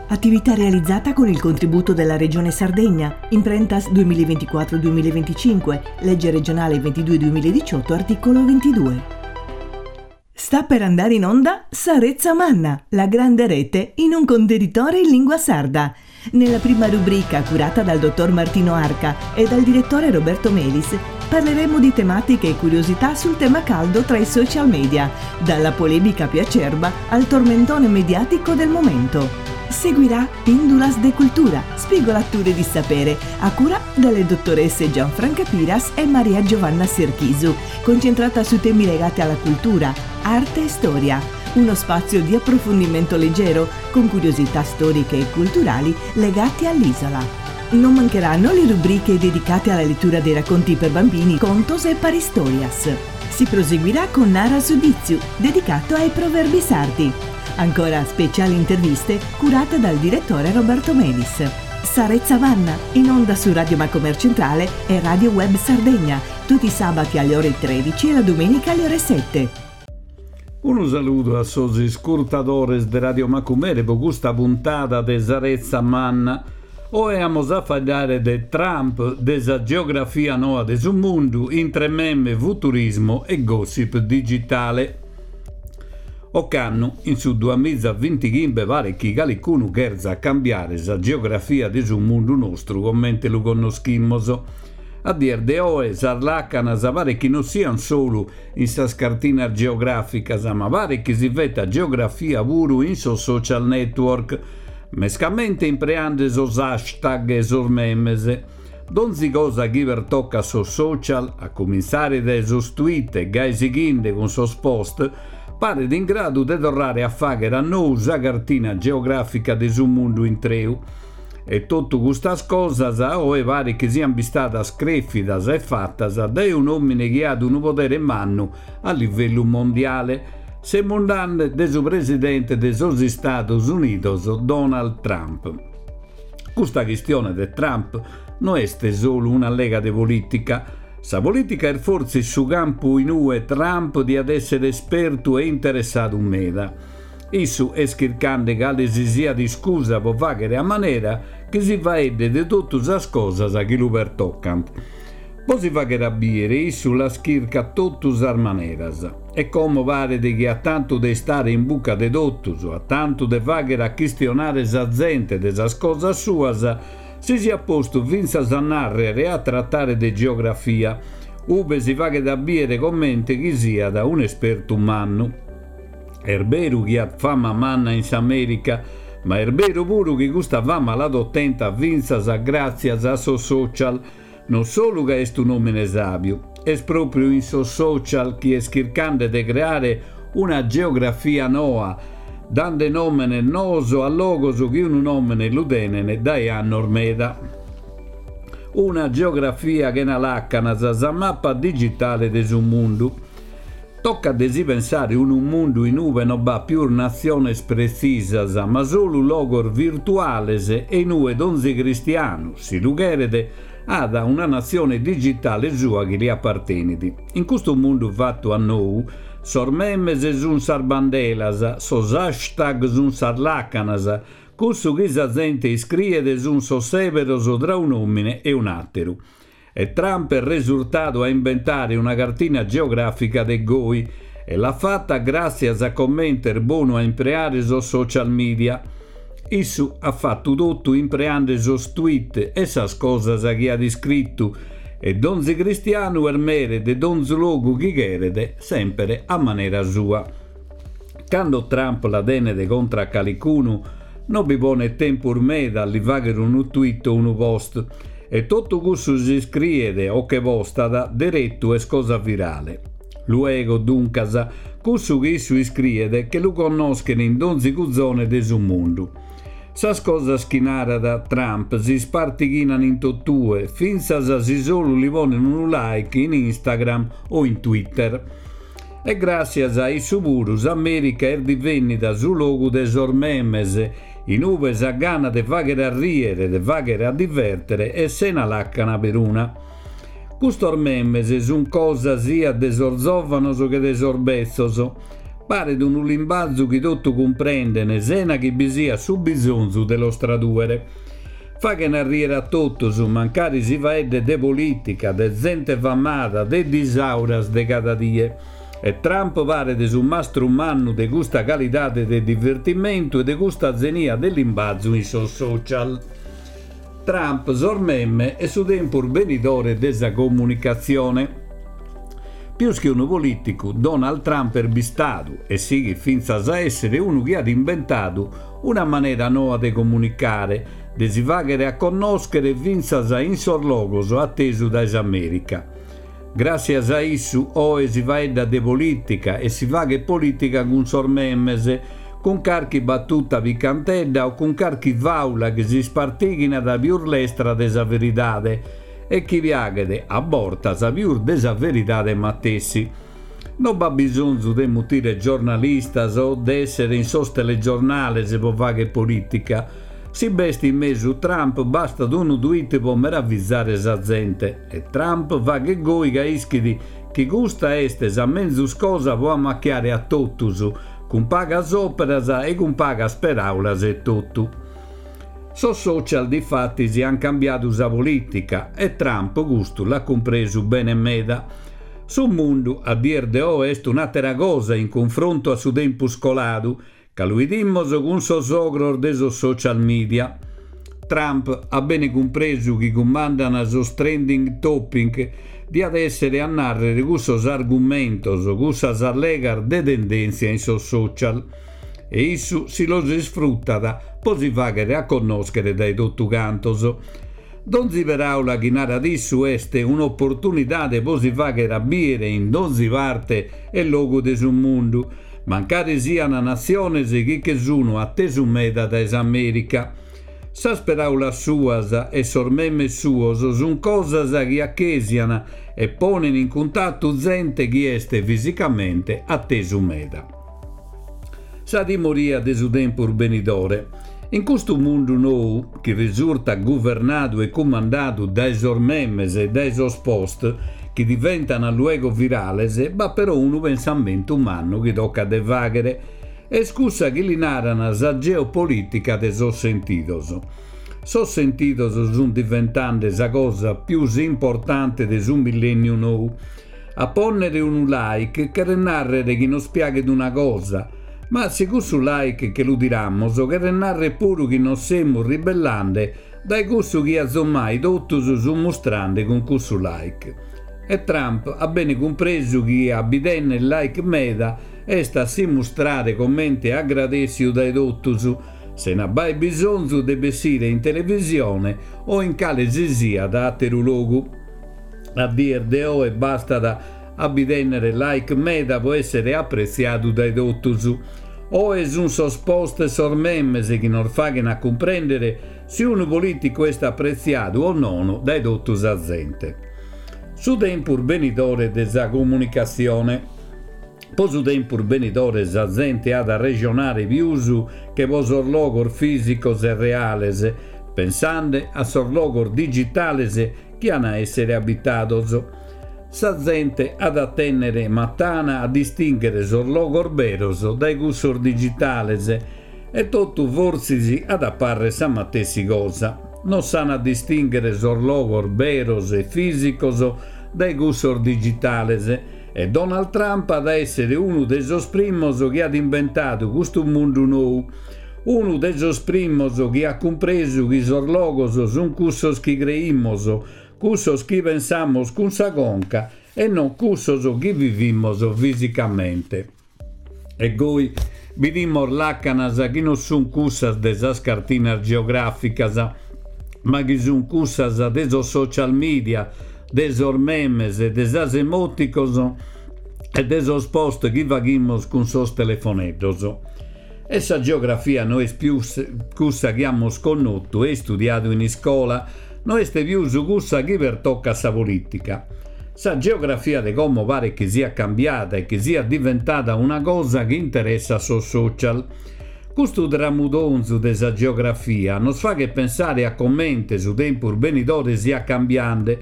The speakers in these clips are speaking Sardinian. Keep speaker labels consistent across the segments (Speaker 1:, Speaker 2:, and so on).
Speaker 1: Attività realizzata con il contributo della Regione Sardegna, Imprentas 2024-2025, legge regionale 22-2018, articolo 22. Sta per andare in onda Sa Retza Manna, la grande rete in un contenitore in lingua sarda. Nella prima rubrica, curata dal dottor Martino Arca e dal direttore Roberto Melis, parleremo di tematiche e curiosità sul tema caldo tra i social media, dalla polemica più acerba al tormentone mediatico del momento. Seguirà Pindulas de Cultura, spigolature di sapere, a cura delle dottoresse Gianfranca Piras e Maria Giovanna Serchisu, concentrata su temi legati alla cultura, arte e storia. Uno spazio di approfondimento leggero, con curiosità storiche e culturali legate all'isola. Non mancheranno le rubriche dedicate alla lettura dei racconti per bambini, contos e paristorias. Si proseguirà con Nara su Ditzu, dedicato ai proverbi sardi. Ancora speciali interviste curate dal direttore Roberto Melis. Sa Retza Manna, in onda su Radio Macomer Centrale e Radio Web Sardegna, tutti i sabati alle ore 13 e la domenica alle ore 7.
Speaker 2: Unu saludu a sos iscurtadores de Radio Macumere po custa puntada de Sa Retza Manna. Oe amus a faeddare de Trump, de sa geografia noa de su mundu intre meme, futurismo e gossip digitale. Ocannu, in su duamiza bintichimbe paret chi calicunu cherzat cambiare sa geografia de su mundu nostru comente lu connoschimus. A dies de oe sas làcanas paret chi non siant solu in sas cartinas geogràficas, ma paret chi si fetat geografia puru in sos social network, mescamente impreande sos hashtag e sos memes. Donzi cosa chi pertocat sos social, a cumintzare dae sos tweet e gai sighinde cun sos post, paret in gradu de torrare a fàghere a nou sa cartina geogràfica de su mundu intreu. E totu custas cosas a oe paret chi siant bistadas crèfidas e fatas dae un'òmine chi at unu podere mannu a livellu mondiale, semus nande de su presidente de sos Istados Unidos Donald Trump. Custa chistione de Trump no est solu un'allega de polìtica. Sa polìtica est fortzis su campu in ue Trump diat èssere espertu e interessadu meda. Issu est chircande cale si siat iscusa pro fàghere a manera chi si faeddet de totu sas cosas chi lu pertocant. Pro si fàghere a bìere issu las chircat totu sas maneras. E como paret chi a tantu de istare in buca de totus, a tantu de fàghere a chistionare sa zente de sas cosas suas, si siat postu fintzas a nàrrere e a tratare de geografia, ube si faghet a bìere comente chi siat un'espertu mannu. Est beru chi at fama manna in s'Amèrica, ma est beru puru chi custa fama l'at otenta fintzas gràtzias a sos social, non solu ca est un'òmine sàbiu, est pròpriu in sos social chi est chircande de creare una geografia noa, dande nòmenes noos a logos chi unu nòmene lu tenent dae annos meda. Una geografia chena làcanas, sa mapa digitale de su mundu. Tocat de si pensare unu mundu in ube no b'at pius natziones pretzisas, ma solu logos virtuales e in ue donzi cristianu, si lu cheret, at una natzione digitale sua chi li apartenit. In custu mundu fatu a nou, sos memes sun sas bandelas, sos hashtag sun sas làcanas, cussu chi sa zente iscriet sun sos sèberos tra un'òmine e un'àteru. E Trump est resurtadu a imbentare una cartina geogràfica de goi, e l'at fata gràtzias a comente est bonu a impreare sos social media. Issu at fatu totu impreande sos tweet e sas cosas chi at iscritu, e donzi cristianu est mere de donzi logu chi cheret, semper a manera sua. Cando Trump la tenet contra a calicunu, no bi ponet tempus meda a li fàghere unu tweet o unu post, e totu cussu chi iscriet o che postat deretu est cosa virale. Luego, duncas, cussu chi issu iscriet che lu connoschen in donzi cuzone de su mundu. Sas cosas chi narat Trump si ispartighinan in totue, fintzas si solu li ponen unu like in Instagram o in Twitter. E gràssias a issu puru s'Amèrica est divènnida su logu de sos memes, in ube sa gana de fàghere a rìere, de fàghere a divèrtere est sena làcana peruna. Custos memes sunt cosa siat de sos zòvanos che de sos betzos. Paret unu limbazu chi totu cumprenden sena chi bi siat su bisonzu de los tradùere. Faghen a riere a totus, mancari si faeddet de polìtica, de zente famada, de disauras de cada die. E Trump paret su mastru mannu de custa calidade de divertimentu e de custa zenia de limbazu in sos social. Trump, sos meme e su tempus benidore de sa comunicatzione. Pius chi unu polìticu, Donald Trump est bistadu, e sighit fintzas a èssere unu chi at imbentadu una manera noa de comunicare, de si fàghere a connòschere fintzas in sos logos a tesu dae s'Amèrica. Gràssias a issu oe si faeddat de polìtica e si faghet polìtica cun sos memes, cun carchi batuta picantedda o cun carchi fàula chi s'ispartighinat pius lestra de sa veridade e chi piaghet, a bortas, pius de sa veridade matessi. No b'at bisonzu de mutire giornalistas o de èssere in sos telegiornales pro fagher polìtica. Si b'est in mesu Trump bastat unu tweet pro meravizare sa zente. E Trump faghet goi ca ischit chi custa est sa menzus cosa pro ammachiare a totus, cun pagas òperas e cun pagas peràulas etotu. Sos social difatis ant cambiadu sa polìtica e Trump custu l'at cumpresu bene meda. Su mundu a dies de oe est un'àtera cosa in cunfrontu a su tempus coladu, ca lu 'idimos cun sos ogros de sos social media. Trump at bene cumpresu chi cumandan sos trending topic, diat èssere a nàrrere cussos argumentos, cussas allegas de tendèntzia in sos social. E issu si los isfrutat pro si fàghere a connòschere dae totu cantos. Donzi peràula chi narat issu est un'oportunidade pro si fàghere a bìere in donzi parte e logu de su mundu, mancari sian natziones chi che sunu atesu meda dae s'Amèrica. Sas peràulas suas e sos memes suos sun cosas chi achesian e ponen in cuntatu zente chi est fisicamente atesu meda. Sa timoria de su tempus benidore. In custu mundu nou, chi risurtat guvernadu e cumandadu dae sos memes e dae sos post, chi diventan luego virales, b'at però unu pensamentu mannu chi tocat de fàghere, est cussa chi li naran sa geopolìtica de sos sentidos. Sos sentidos sunt diventande sa cosa pius importante de su millènniu nou. A pònnere unu like cheret nàrrere chi nos piaghet una cosa, ma si cussu like che lu tiramos cheret nàrrere puru chi nos semus ribellande dae cussu chi azomai totus sunt mustrande cun cussu like. E Trump at bene cumpresu chi a bi tènnere like meda est a si mustrare comente agradèssiu dae totus, sena b'aer bisonzu de bessire in televisione o in cale si siat àteru logu. A dies de oe bastat a bi tènnere like meda pro èssere apretziadu dae totus. Oe sunt sos post e sos memes chi nos faghen a cumprèndere si unu polìticu est apretziadu o nono dae totu sa zente. Su tempus benidore de sa comunicatzione. Pro su tempus benidore sa zente at a rejonare pius che pro sos logos fìsicos e reales, pensande a sos logos digitales chi an a èssere abitados. Sa zente at a tènnere matana a distìnghere sos logos beros dae cussos digitales e totu fortzis at a pàrrere sa matessi cosa. Non s'an a distìnghere sos logos beros e fìsicos dae cussos digitales e Donald Trump at a èssere unu de sos primos chi at imbentadu custu mundu nou, Unu de sos primos chi at cumpresu chi sos logos sunt cussos chi creimos, cussos chi pensamos cun sa conca e non cussos chi vivimos fisicamente. E goi bidimos làcanas chi non sunt cussas de sas cartinas geogràficas, ma chi sunt cussas de sos social media, de sos memes, de sas emoticos e de sos post chi faghimos cun sos telefoneddos. E sa geografia no est pius cussa chi amus connotu e istudiadu in iscola, no est pius cussa chi pertocat sa polìtica. Sa geografia de como paret chi siat cambiada e chi siat diventada una cosa chi interessat sos social. Custu tramudonzu de sa geografia nos faghet pensare a comente su tempus benidore siat cambiande,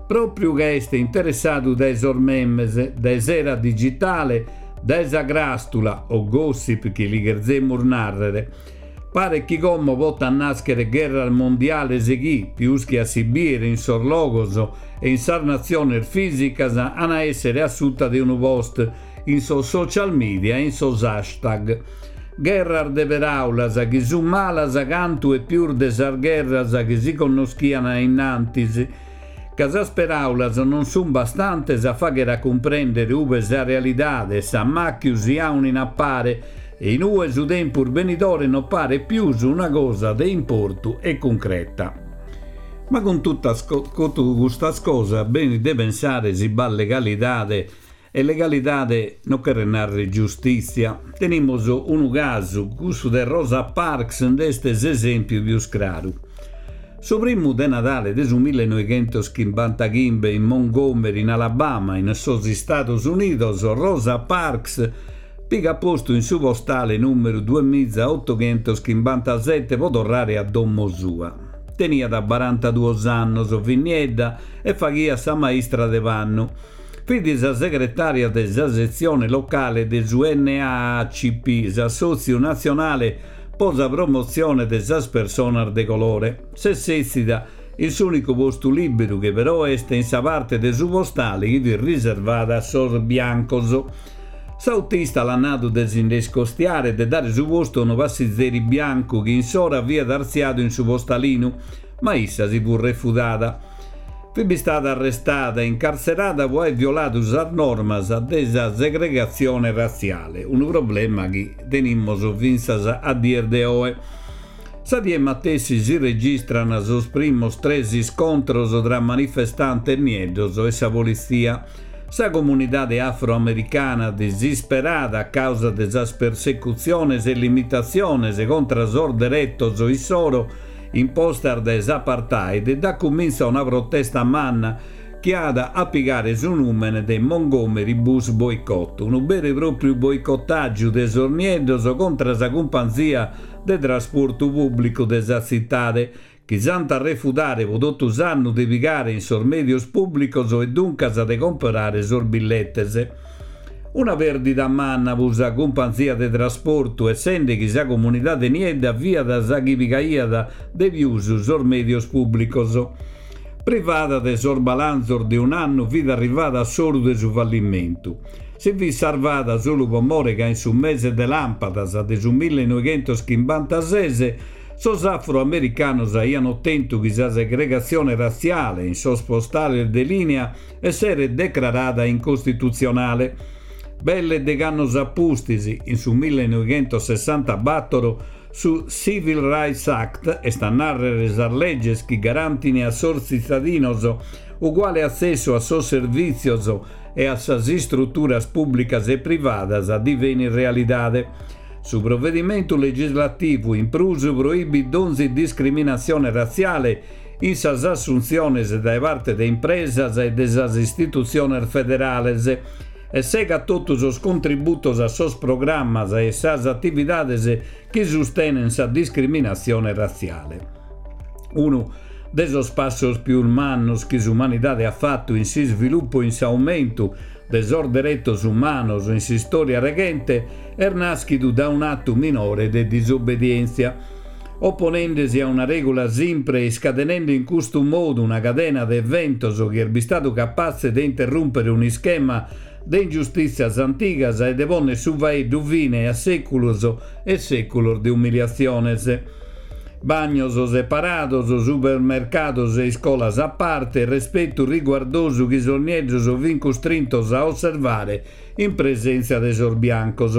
Speaker 2: pròpriu ca est interessadu dae sos memes, dae s'era digitale, Dae sa cràstula, o gossip chi li cherzemus nàrrere, paret chi como potant nàschere gherras mondiales chi, pius chi a si bìere in sos logos e in sas natziones fìsicas, an a èssere a suta de unu post in sos social media e in sos hashtag. Gherras de peràulas chi sunt malas cantu e pius de sas gherras chi si connoschian a innantis, ca sas peràulas non sunt bastantes a fàghere a cumprèndere ube sa realidade e s'ammàchiu si aunin a pare e in ue su tempus benidore non paret pius una cosa de importu e cuncreta. Ma cun totu custas cosas benit de pensare si b'at legalidade E legalidade no cheret nàrrere giustìtzia. Tenimus unu casu, cussu de Rosa Parks nd'est s'esèmpiu pius craru. Su primu de Nadale de su millenoighentoschimbantaghimbe in Montgomery, in Alabama, in sos Istados Unidos, Rosa Parks pigat postu in su postale nùmeru duemizaotoghentoschimbantazete pro torrare a domo sua. Teniat barantaduos annos, fit niedda e faghiat sa maistra de pannu. Fit sa segretària de sa setzione locale de su NAACP, s'Assòtziu Natzionale po sa Promotzione de sas Personas de Colore. S'est sètzida in s'ùnicu postu lìberu chi però est in sa parte de su postale chi fit riservada a sos biancos. S'autista l'at nadu de si nde iscostiare e de dare su postu a unu passizeri biancu chi in s'ora fiat artziadu in su postalinu, ma issa si fut refudada. Fit bistada arrestada e incartzerada pro aer violadu sas normas de sa segregatzione ratziale, unu problema chi tenimus fintzas a dies de oe. Sa die matessi si registran sos primos tres iscontros tra manifestantes nieddos e sa politzia. Sa comunidade afroamericana, disisperada a causa de sas persecutziones e limitatziones contra sos deretos issoro, impostas dae s'apartheid, dat cumintzu a una protesta manna chi at a pigare su nùmene de Montgomery Bus Boycott, unu beru e pròpriu boicotàgiu de sos nieddos contra sa cumpanzia de trasportu pùblicu de sa tzitade, chi s'ant a refudare pro totu s'annu de pigare in sos mèdios pùblicos e duncas de comporare sos billetes. Una pèrdida manna pro sa cumpanzia de trasportu, essende chi sa comunidade niedda fiat sa chi pigaiat de pius sos mèdios pùblicos. Privada de sos balanzos de un'annu fit arrivada a s'oru de su fallimentu. Si fit sarvada solu pro more ca in su mese de làmpadas de su millenoighentoschimbanta-ses Sos afroamericanos aian otentu chi sa segregatzione ratziale in sos postales de lìnia esseret decrarada incostitutzionale. Belle degh'annos a pustis, in su millenoighentosessantabatoro, su Civil Rights Act, est a nàrrere sas leges chi garantini a sos tzitadinos uguale atzessu a sos servìtzios e a sas istruturas pùblicas e privadas, divenit realidade. Su provedimentu legislativu in prus proibit donzi discriminatzione ratziale in sas assuntziones dae parte de impresas e de sas istitutziones federales e segat totu sos contributos a sos programmas e sas atividades chi sustenent sa discriminatzione ratziale. Unu de sos passos pius mannos chi s'umanidade at fatu in s'isvilupu e in s'aumentu de sos deretos umanos in s'istòria reghente est nàschidu da un'atu minore de disobbedièntzia, oponende-si a una règula simpre e iscadenende in custu modu una cadena de eventos chi est bistadu capatze de interrùmpere un'ischema de ingiustìtzias antigas e de pònnere su faeddu fine a sèculos e sèculos de umiliatziones. Bagnos separados, supermercados e iscolas a parte, respetu riguardosu chi sos nieddos fin custrintos a osservare in presèntzia de sos biancos.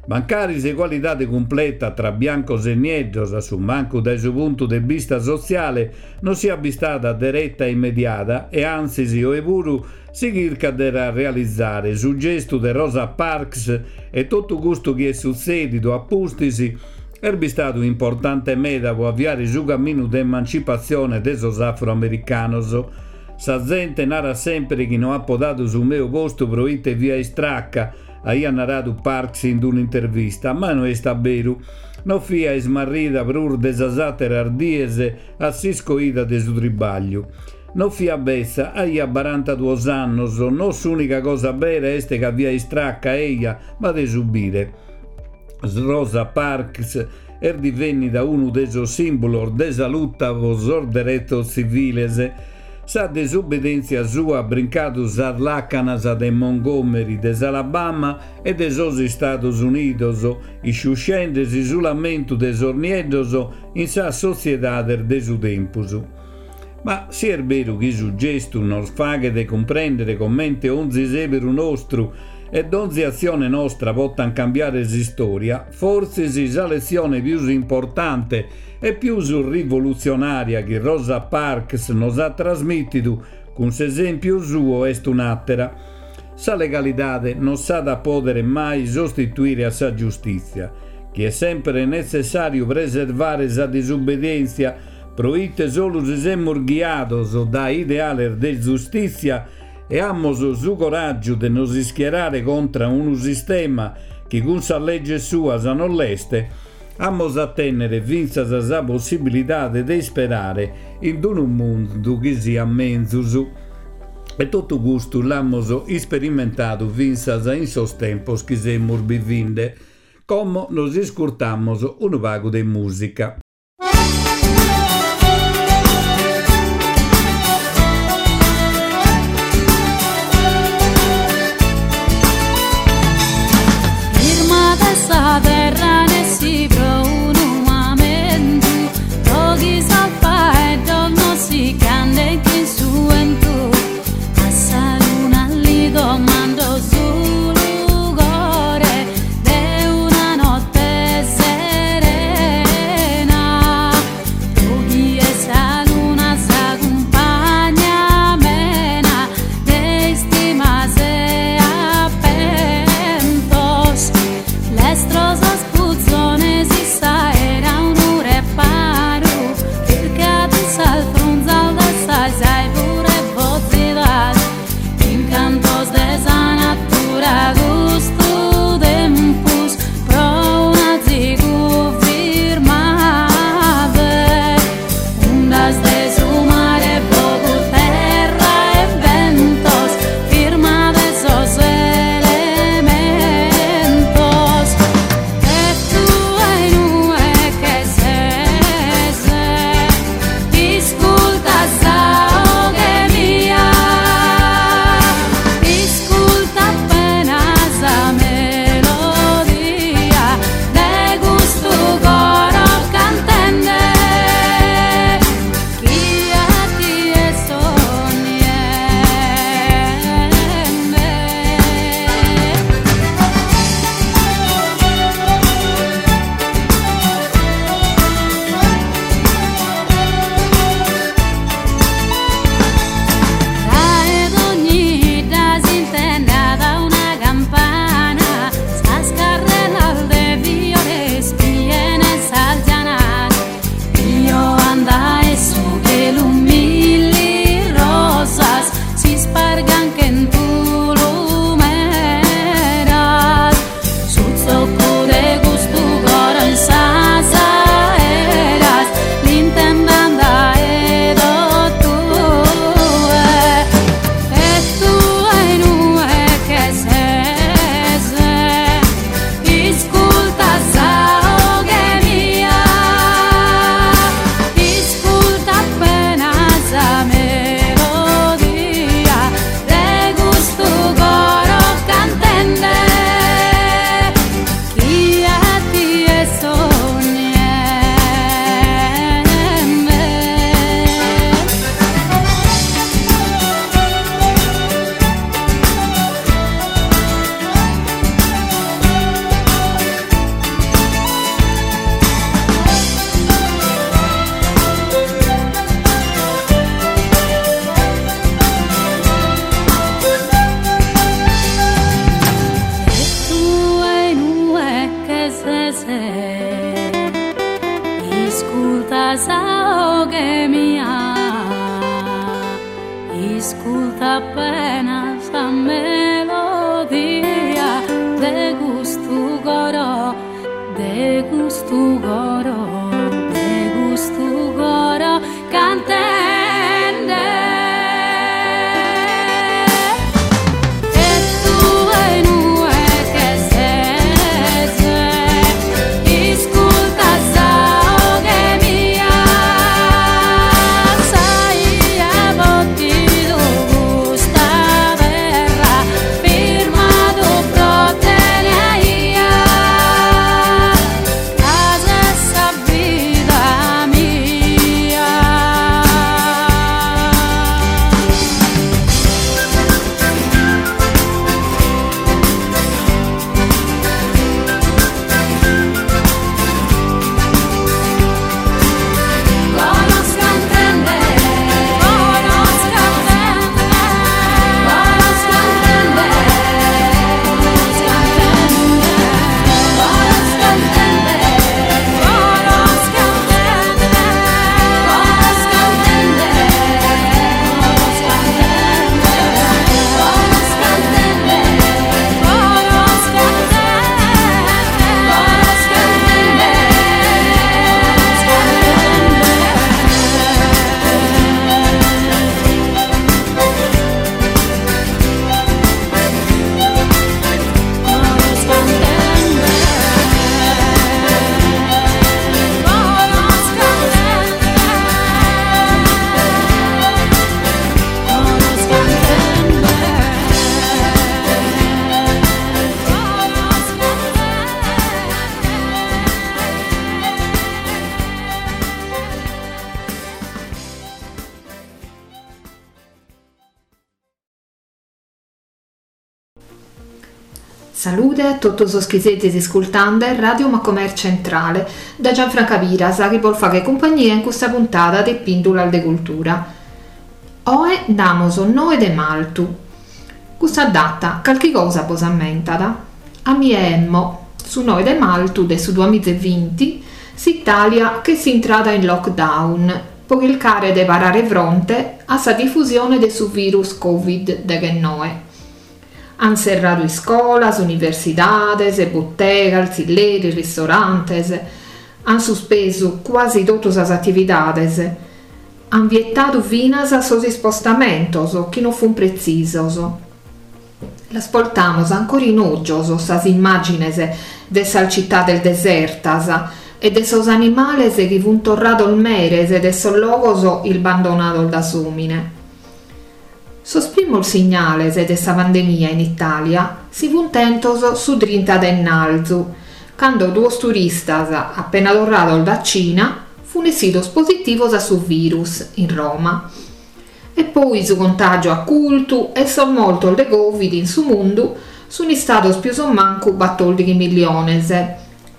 Speaker 2: Mancari s'egualidade cumpleta tra biancos e nieddos, a su mancu dae su puntu de bista sotziale, non siat bistada dereta e immediada e antzis oe puru si chircat de la realizare, su gestu de Rosa Parks e totu custu chi est sutzèdidu a pustis est bistadu importante meda pro aviare su caminu de emancipatzione de sos afroamericanos. Sa zente narat semper chi no apo dadu su meu postu pro ite fia istraca, aiat naradu Parks in un'intervista, ma no est a beru. No fia ismarrida prus de sas àteras dies a s'iscoida de su tribagliu. No fiat betza, aiat barantaduos annos, no s'ùnica cosa bera est ca fiat istraca, eja, ma de subire. Rosa Parks est divènnida unu de sos sìmbulos de sa luta pro sos deretos tziviles. Sa desobbedèntzia sua at brincadu sas làcanas de Montgomery, de s'Alabama e de sos Istados Unidos, isciuscende s'isulamentu de sos nieddos in sas sotziedades de su tempus. Ma si est beru chi su gestu nos faghet cumprèndere comente onzi sèberu nostru e donzi atzione nostra potant cambiare s'istòria, fortzis sa letzione pius importante e pius rivolutzionària chi Rosa Parks nos at trasmìtidu cun s'esèmpiu suo est un'àtera, sa legalidade non s'at a pòdere mai sostituire a sa giustìtzia, chi est semper netzessàriu preservare sa disubbedièntzia Pro ite solu si semus ghiados dae ideales de zustìtzia e amus su coràgiu de nos ischierare contra unu sistema chi cun sas leges suas non l'est, amus a tènnere fintzas sa possibilidade de isperare in unu mundu chi siat menzus. E totu custu l'amus isperimentadu fintzas in sos tempos chi semus bivinde. Como nos iscurtamus unu pagu de mùsica.
Speaker 3: Firmade sa terra nessi pro unu mamentu pro chi sos faeddos no si ch'anden chin su 'entu a sa luna li domando su lugore de una notte serena pro chi est sa luna sa cumpagna amena de istimas e appentos lestros sos puzones in s'aera unu reparu chircat in sas frunzas de sas arvures fozidas incantos de sa natura custu tempus pro un'azigu firmade undas de su mare fogu terra e bentos firmade sos elementos e tue inue che ses isculta sa 'oghe mia isculta appena sa melodia de custu coro cantende chi a tie sonniende. Dae dogni 'idda s'intendat una campana, sas carrelas de fiores pienen sas janas. Pioan dae su chelu milli rosas, s'ispargan chentu lumeras. Su tzoccu de custu coro in sas aeras l'intendan dae totue. E tue inue che ses isculta sa 'oghe mia, isculta appena sa melodia de custu coro cantende chi a tie sonniende. E tue inue che ses isculta sa 'oghe mia, isculta appena sa melodia de custu coro, de custu coro, de custu coro cantende.
Speaker 4: Salude a totu sos chi sezis iscultande Radio Macomer Centrale, da Gianfranca Piras chi bos faghet cumpagnia in custa puntada de Pìndulas de Cultura. Oe nd'amos noe de maltu. Custa data calchi cosa bos ammentat? A mie emmo, su noe de maltu de su duamiza e vinti s'Itàlia ch'est intrada in lockdown po chircare de parare fronte a sa difusione de su virus Covid deghennoe. An serradu iscolas, universidades, butegas, tzilleris, ristorantes, an suspesu cuasi totu sas atividades, an vietadu finas sos ispostamentos chi no fun pretzisos. Las portamos ancora in ògios sas immàgines de sas citades desertas e de sos animales chi fun torrados meres de sos logos isbandonados da s'òmine. Sos primos signales de sa pandemia in Itàlia si funt tentos su trinta de ennalzu, cando duos turistas apena torrados da Cina fun essidos positivos a su virus in Roma. E poi su contàgiu at curtu e sos mortos de Covid in su mundu sun istados pius o mancu batòrdighi milliones,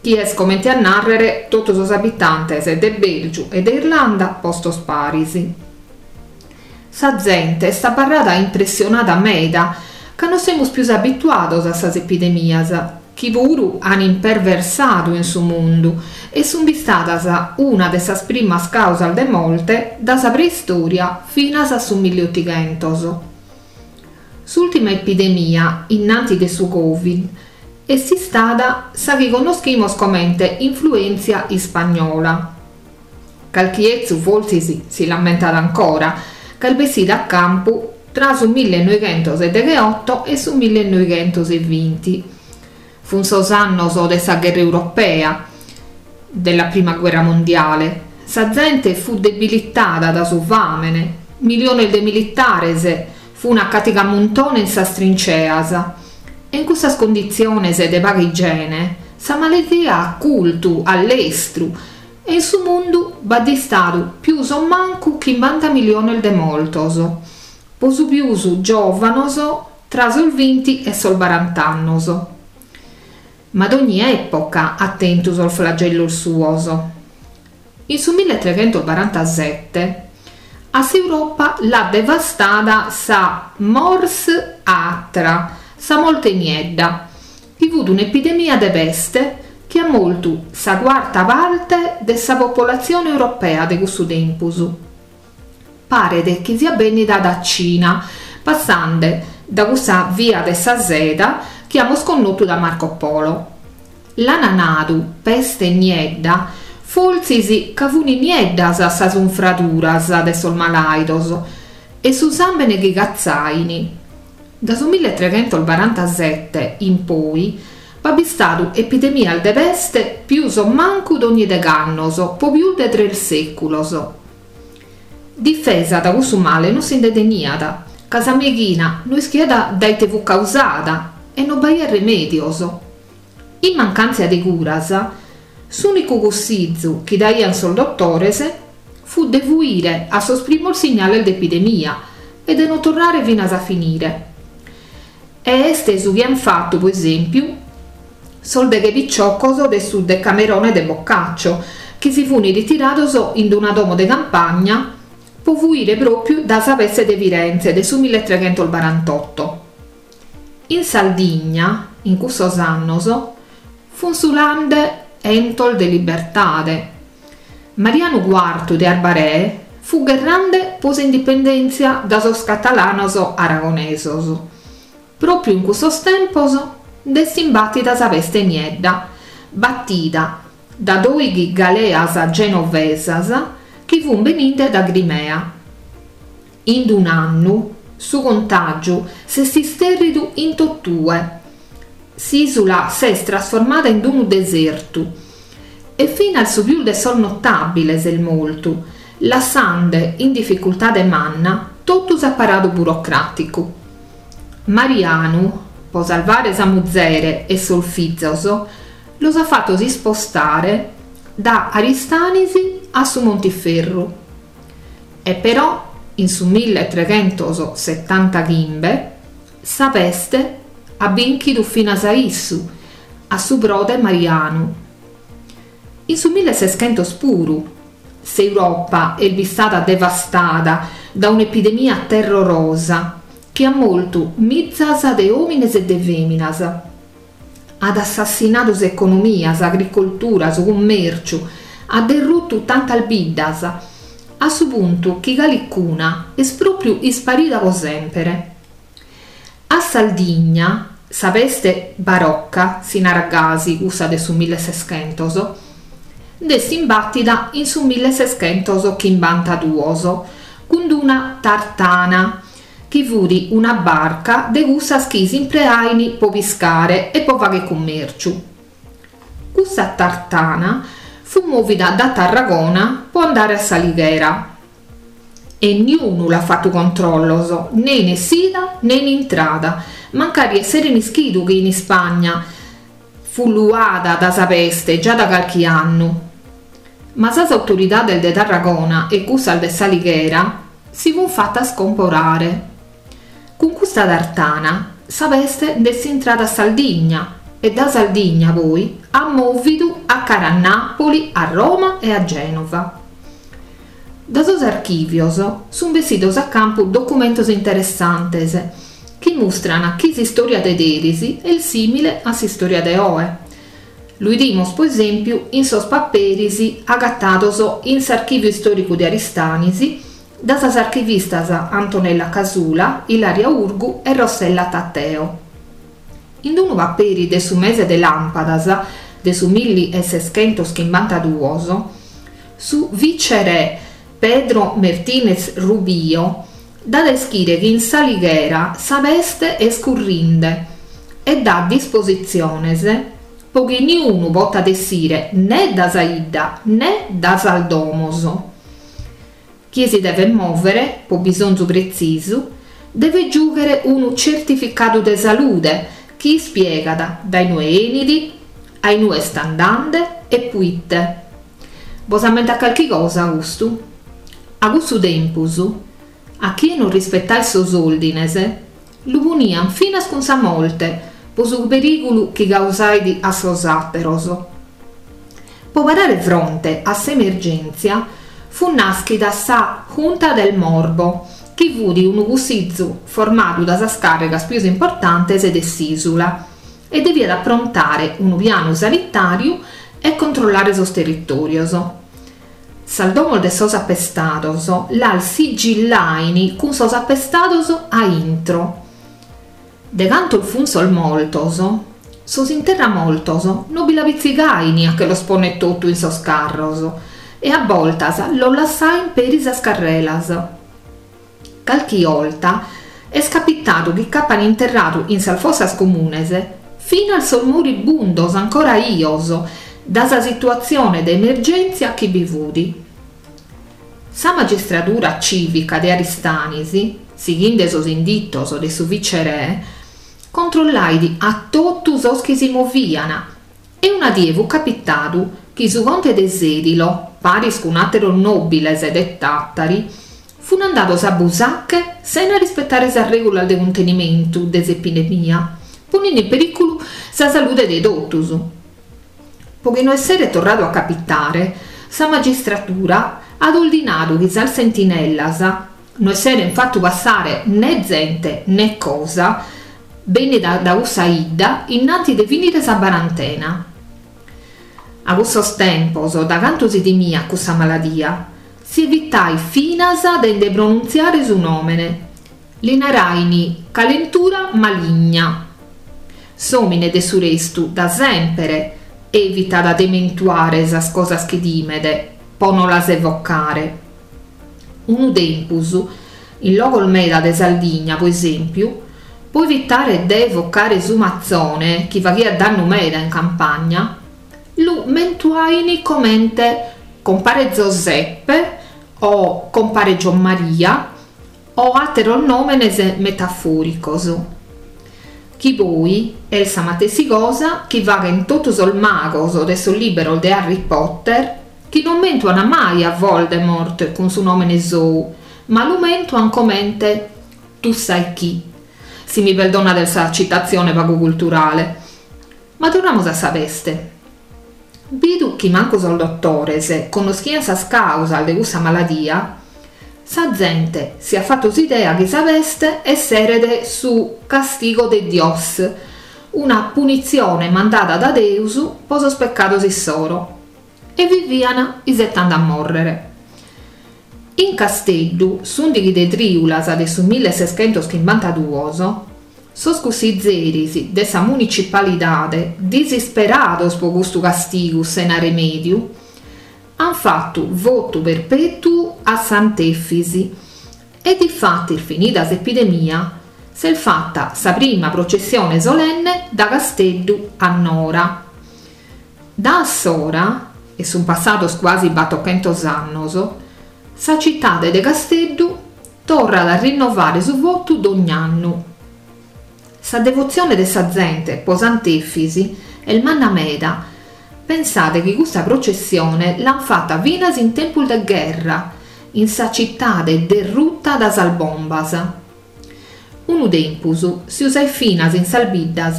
Speaker 4: chi est comente a nàrrere totu sos abitantes de Bèlgiu e de Irlanda postos paris. Sa zente est abarrada impressionada meda ca no semus pius abituados a sas epidemias, chi puru an imperversadu in su mundu e sun bistadas una de sas primas causas de morte da sa preistoria finas a su milliotighentos. S'ultima epidemia, innanti de su Covid, est istada sa chi connoschimos comente influentzia ispagnola. Calchi 'etzu fortzis si l'ammentat ancora, ca est bessida a campu tra su millenoighentos e degheoto e su millenoighentos e vinti. Fun sos annos de sa gherra europea, della prima guerra mondiale. Sa zente fut debilitada da su fàmene, miliones de militares fun a catigamuntone in sas trinceas e in cussas conditziones de paga igiene sa maladia at curtu a lestru E in su mundu b'at istadu pius o mancu chimbanta miliones de mortos, po su pius giòvanos tra sos vinti e sos barant'annos. Ma dogni època at tentu sos flagellos suos. In su milletreghentosbarantasete a s'Europa l'at devastada sa Mors Atra, sa morte niedda, chi fut un'epidemia de peste chi at mortu sa cuarta parte de sa popolatzione europea de cussu tempus. Paret chi siat bènnida da Cina, passande da cussa via de sa seda chi amus connotu da Marco Polo. L'ana nadu peste niedda fortzis ca funi nieddas sas unfraduras de sos malàidos e su sàmbene chi catzaini. Da su milletreghentosbarantasete in poi b'at bistadu epidemias de peste pius o mancu dogni degh'annos po pius de tres sèculos. Difesa da cussu male no si nde teniat, ca sa meighina no ischiat da ite fut causada e no b'aiat remèdios. In mancàntzia de curas, s'ùnicu cussizu chi daiant sos dotores fut de fuire a sos primos signales de epidemia e de no torrare finas a finire. E est su chi ant fatu, po esèmpiu, sos deghe piciocos de su Decamerone de Boccaccio, chi si funt ritirados in una domo de campagna po fuire pròpiu da sa peste de Firenze de su milletreghentosbarantotto. In Sardigna, in cussos annos, fun sulande 'entos de libertade. Marianu Cuartu de Arbaree fut gherrande po s'indipendèntzia da sos catalanos aragonesos. Pròpiu in cussos tempos nd'est imbàtida sa peste niedda, batida da dòighi galeas genovesas chi fun beninde da Crimea. In d'un'annu su contàgiu s'est istèrridu in totue. S'ìsula s'est trasformada in unu desertu e finas su pius de sos notàbiles est mortu, lassande in dificultade manna totu s'aparadu burocràticu. Marianu, po salvare sa muzere e sos fizos, los at fatos ispostare da Aristanis a su Montiferru. E però in su milletreghentos setantachimbe sa peste. at bìnchidu finas a issu, a su prode Marianu. In su milleseschentos puru, s'Europa est bistada devastada da un'epidemia terrorosa chi at mortu mizas de òmines e de fèminas, at assassinadu s'economia, s'agricoltura, su cummèrciu, at derrutu tantas biddas, a su puntu chi calicuna est pròpriu isparida po sèmpere. A Saldigna, sa peste barocca, si narat gasi cussa de su milleseschentos, nd'est imbàtida in su milleseschentoschimbantaduos cun d'una tartana, chi fut una barca de cussas chi s'impreain po piscare e po fagher cummèrciu. Cussa tartana fut mòvida da Tarragona po andare a S'Alighera e niunu l'at fatu controllos ne in essida ne in intrada, mancari esseren ischidu chi in Ispagna fut luada da sa peste già da calchi annu. Ma sas autoridades de Tarragona e cussas de S'Alighera si fun fatas comporare. Cun custa tartana sa peste nd'est intrada a Saldigna e da Saldigna poi at mòvidu a cara a Nàpoli, a Roma e a Gènova. Da sos archìvios sunt bessidos a campu documentos interessantes chi mustran chi s'istòria de deris est sìmile a s'istòria de oe. Lu 'idimos po esèmpiu in sos paperis agatados in s'Archìviu Istòricu de Aristanis da sas archivistas Antonella Casula, Ilaria Urgu e Rossella Tateo. In unu paperi de su mese de làmpadas de su milliseschentoschimbantaduos, su viceré Pedro Mertínez Rubio dat a ischire chi in S'Alighera sa peste est currinde e dat dispositziones po chi niunu potat essire ne da sa 'idda ne da sas domos. Chie si devet mòvere, po bisonzu pretzisu, devet giùghere unu certificadu de salude chi ispiegat dae inue 'enit, a inue est andande e puite. Bos ammentat calchi cosa custu? A cussu tempus, a chie non rispetait sos òrdines, lu punian finas cun sa morte po su perìgulu chi causait a sos àteros. Po parare fronte a s'emergèntzia fut nàschida sa Junta del Morbo, chi fut unu cussizu formadu da sas càrrigas pius importantes de s'ìsula e deviat aprontare unu pianu sanitàriu e controllare sos territòrios. Sas domos de sos apestados las sigillain cun sos apestados a intro. De cantos fun sos mortos, sos interramortos no bi la pitzigain a che los ponner totu in sos carros e a boltas los lassain peri sas carrelas. Calchi 'olta est capitadu chi ch'apan interradu in sas fossas comunes finas sos moribundos ancora 'ios da sa situatzione de emergèntzia chi bi fut. Sa magistradura cìvica de Aristanis, sighinde sos inditos de su viceré, controllait a totu sos chi si movian e una die fut capitadu chi su conte de Sèdilo, paris cun àteros nòbiles de Tàtari, fun andados a Busache sena rispetare sas règulas de cuntenimentu de s'epidemia, poninde in perìculu sa salude de totus. Po chi no esseret torradu a capitare, sa magistratura at ordinadu chi sas sentinellas no esseren fatu passare ne zente ne cosa bennida da cussa 'idda innanti de finire sa barantena. A cussos tempos, da cantu si timiat cussa maladia, si evitait finas de nde pronuntziare su nòmene. Li narain calentura maligna. S'òmine de su restu da sèmpere evitat de mentuare sas cosas chi timet po no las evocare. Unu tempus, in logos meda de Sardigna, po esèmpiu, po evitare de evocare su matzone chi faghiat dannu meda in campagna, lu mentuain comente compare Zoseppe o compare Giommaria o àteros nòmenes metafòricos, chi poi est sa matessi cosa chi faghent totu sos magos de sos lìberos de Harry Potter, chi non mentuan mai a Voldemort cun su nòmene sou, ma lu mentuan comente tu sai chi. Si mi peldonades sa citatzione pagu culturale. Ma torramus a sa peste. Bidu chi mancu sos dotores connoschiant sas càusas de cussa maladia, sa zente si at fatu s'idea chi sa peste esseret su castigo de Dios, una punitzione mandada da Deus po sos pecados issoro, e vivian isetande a mòrrere. In Casteddu, s'ùndighi de trìulas de su millesescentoschimbantaduos, Sos cussizeris de sa municipalidade, disisperados po custu castigu sena remèdiu, ant fatu votu perpètuu a Sant'Efis e difatis finida s'epidemia s'est fata sa prima processione solenne da Casteddu a Nora. Da assora, e sunt passados cuasi batochentos annos, sa citade de Casteddu Torrat a rinnovare su votu dogn'annu. Sa devotzione de sa zente po Sant'Efis est manna meda, pensade chi custa processione l'ant fata finas in tempus de gherra, in sa citade derruta da sas bombas. Unu tempus si usait finas in sas biddas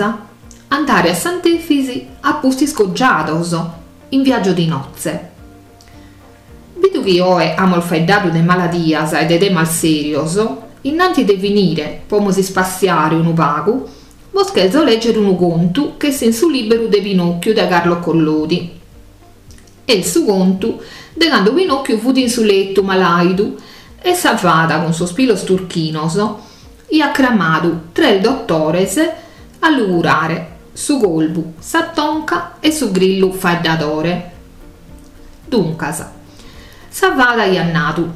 Speaker 4: andare a Sant'Efis a pustis cogiados, in viaggio di nozze. Bidu chi oe amos faeddadu de maladias e de temas sèrios, innanti de finire, po mos ispassiare unu pagu, bos cherzo lègere unu contu ch'est in su lìberu de Pinòcchiu de Carlo Collodi. Est su contu de cando Pinòcchiu fut in su letu malàidu e sa fada cun sos pilos turchinos iat cramadu tres dotores a lu curare, su colvu, sa tonca e su grillu faeddadore. Duncas, sa fada aiat nadu,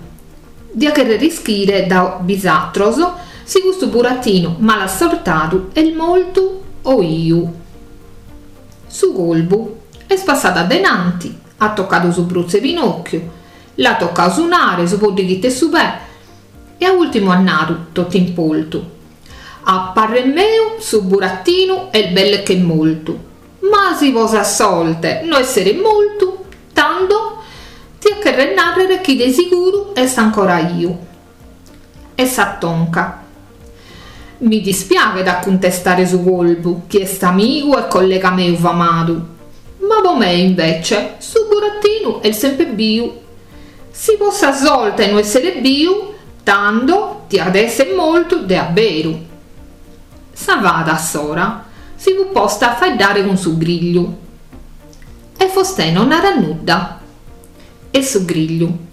Speaker 4: Dia cherrer ischire da bisatros si custu buratinu malassortadu est mortu o 'iu. Su colvu est passadu addenanti, at tocadu su brutzu 'e Pinocchiu, l'at tocadu su nare, su poddighitu 'e su pè e a ultimu at nadu, totu impoltu, A parrer meu su buratinu est belle che mortu. Ma si po sa sorte no esseret mortu, tando tiat cherrer narrer chi de siguru est ancora 'iu. E sa tonca. Mi dispiaghet a cuntestare su colvu, chi est amigu e collega meu famadu, ma po me invece su burattinu est sempre biu. Si po sa sorte no esseret biu, tando tiat esser mortu de abberu. Sa fada assora si fut posta a faeddare cun su grigliu. E fostè non narat nudda. E su grigliu.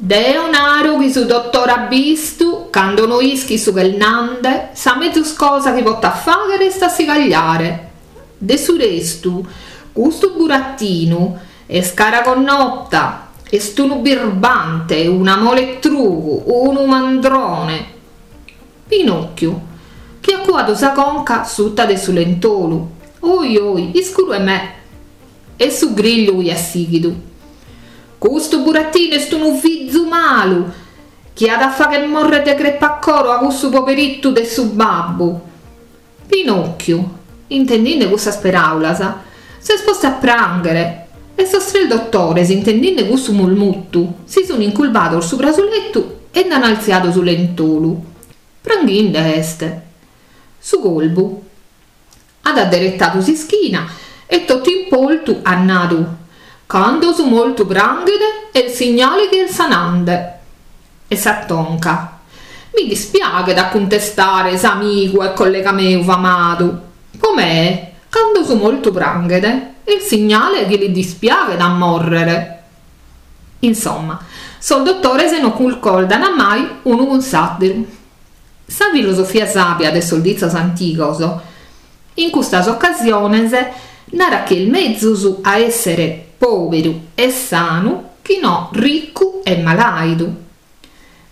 Speaker 4: Deo naro chi su dotore abbistu, cando no ischit su ch'est nande, sa mezus cosa chi potat fagher est a si cagliare. De su restu, custu burattinu est cara connota, est unu birbante, una mola 'e trugu, unu mandrone. Pinocchiu, chi at cuadu sa conca suta de su lentolu. Oi oi, iscuru 'e me! E su grigliu chi at sighidu. Custu burattinu est unu fizu malu, chi at a fagher morrer de crepacoro a cussu poberittu de su babbu. Pinocchiu, intendinde cussas peraulas, s'est postu a pranghere e sos tres dottores, intendinde cussu mulmuttu, si sun inculbados subra su lettu e nd'an altziadu su lentolu. Pranghinde est. Su colvu at adderettadu s'ischina e totu impoltu at nadu, Cando su mortu pranghet est signale chi est sanande. E sa tonca. Mi dispiaghet a cuntestare s'amigu e collega meu famadu. Po me, cando su mortu pranghet, est signale chi li dispiaghet a mòrrere. Insomma, sos dotores no cuncordan mai unu cun s'àteru. Sa filosofia sàbia de sos ditzos antigos, in custas ocasiones, narat chi est mezus a èssere pòberu e sanu chi no riccu e malàidu.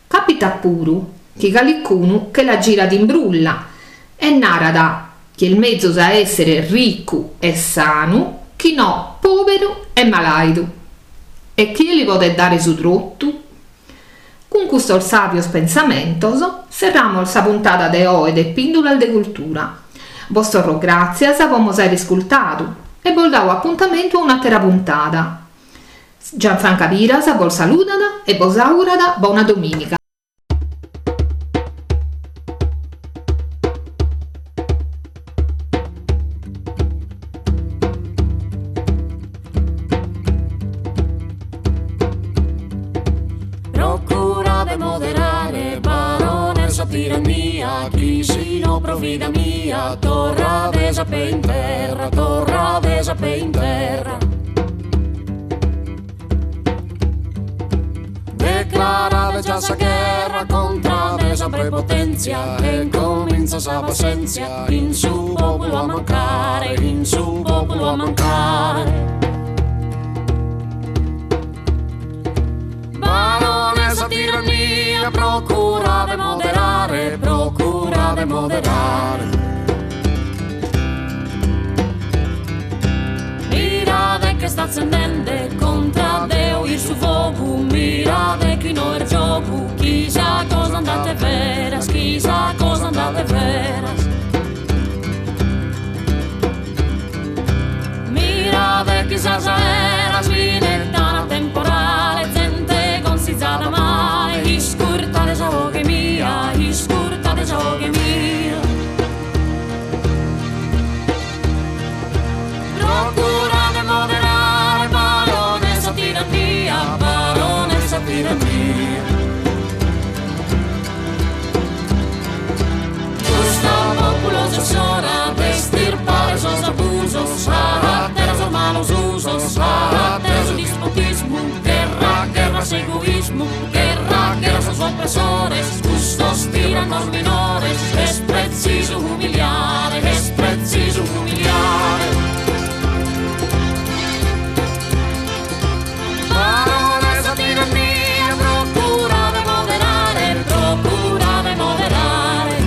Speaker 4: Capitat puru chi calicunu che la girat in brulla e narat chi est mezus a èssere riccu e sanu chi no pòberu e malàidu. E chie li podet dare su trotu? Cun custos sàbios pensamentos serramos sa puntada de oe de Pìndulas de Cultura. Bos torro gràtzias po mos àere iscultadu e bos dao apuntamentu a un'àtera puntada. Gianfranca Piras bos saludat e bos augurat bona domìniga.
Speaker 3: tirannia, chi si no pro vida mia, torrades a pe in terra, torrades a pe in terra. Declarade già sa gherra contra de sa prepotenzia e cominza sa passenzia in su populu a mancare, in su populu a mancare. Barone sa tirannia procura de moderare, procura de moderare. Mirade che sta accendende contra Deu in su fogu, mirade chi no est giogu, chi sa cosa andat 'e veras, chi sa cosa andat 'e veras. Mirade chi sas aeras minettan temporale, zente consizada male, iscurtade sa 'oghe mia, iscurtade sa 'oghe mia. Procura de moderare, barone sa tirannia, barone sa tirannia. Custu populu est s'ora de estirpare sos abusos, atera sos malos usos, atera su dispotismu, gherra, gherra a s'egoismu, gherra, gherra a sos opressores, custos tiranos minores, est pretzisu umiliare, est pretzisu umiliare. Barone sa tirannia, procura de moderare, procura de moderare.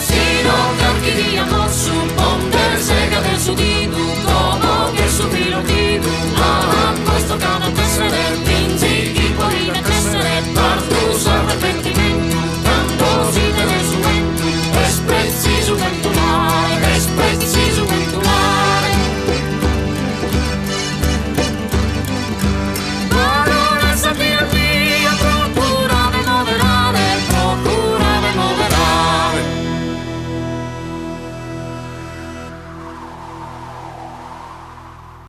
Speaker 3: Si no carchi die a mossu ponde segade su didu, como ch'est su pilu 'ordidu, a nois tocat a tessere, finzi chi podimet essere, tardu s'arrepentimentu, cando s'idet su 'entu, est pretzisu bentulare, est pretzisu bentulare. Barone sa tirannia, procura de moderare, procura de moderare.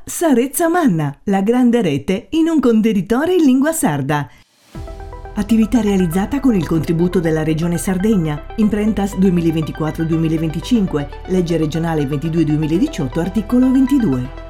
Speaker 1: Sa Retza Manna, la grande rete in un contenitore in lingua sarda. Attività realizzata con il contributo della Regione Sardegna, Imprentas 2024-2025, legge regionale 22-2018, articolo 22.